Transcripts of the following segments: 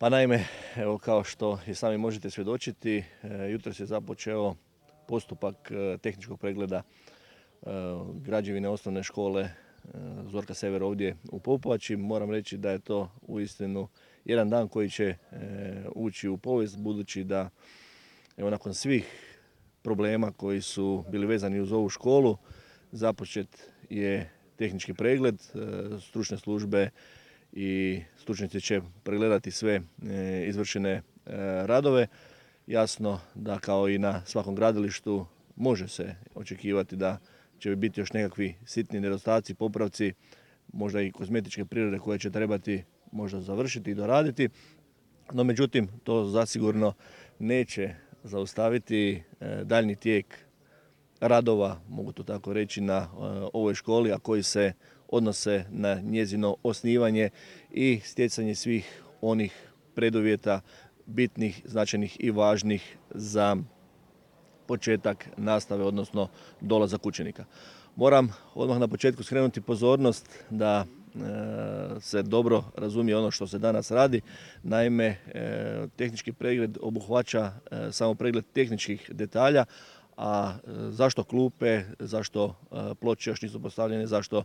Pa naime, evo kao što i sami možete svjedočiti, jutros je započeo postupak tehničkog pregleda građevine osnovne škole Zorka Sever ovdje u Popovači. Moram reći da je to uistinu jedan dan koji će ući u povijest, budući da evo nakon svih problema koji su bili vezani uz ovu školu započet je tehnički pregled. Stručne službe i stručnjaci će pregledati sve izvršene radove. Jasno da kao i na svakom gradilištu može se očekivati da će biti još nekakvi sitni nedostaci, popravci, možda i kozmetičke prirode koje će trebati možda završiti i doraditi. No međutim, to zasigurno neće zaustaviti daljnji tijek radova, mogu to tako reći, na ovoj školi, a koji se odnose na njezino osnivanje i stjecanje svih onih preduvjeta bitnih, značajnih i važnih za početak nastave, odnosno dolazak učenika. Moram odmah na početku skrenuti pozornost da se dobro razumije ono što se danas radi. Naime, tehnički pregled obuhvaća samo pregled tehničkih detalja, a zašto klupe, zašto ploče još nisu postavljene, zašto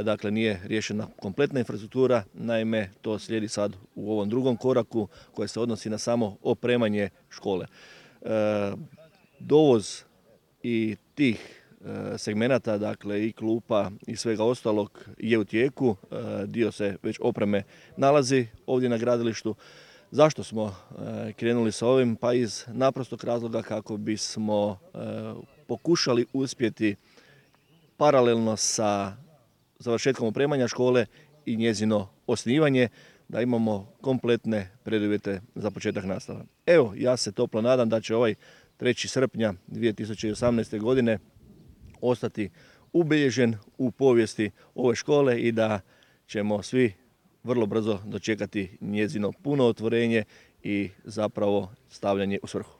dakle nije riješena kompletna infrastruktura. Naime, to slijedi sad u ovom drugom koraku koje se odnosi na samo opremanje škole. Dovoz i tih segmenata, dakle i klupa i svega ostalog je u tijeku. Dio se već opreme nalazi ovdje na gradilištu. Zašto smo krenuli sa ovim? Pa iz naprostog razloga kako bismo pokušali uspjeti paralelno sa završetkom opremanja škole i njezino osnivanje, da imamo kompletne preduvjete za početak nastave. Evo, ja se toplo nadam da će ovaj 3. srpnja 2018. godine ostati ubilježen u povijesti ove škole i da ćemo svi vrlo brzo dočekati njezino puno otvorenje i zapravo stavljanje u svrhu.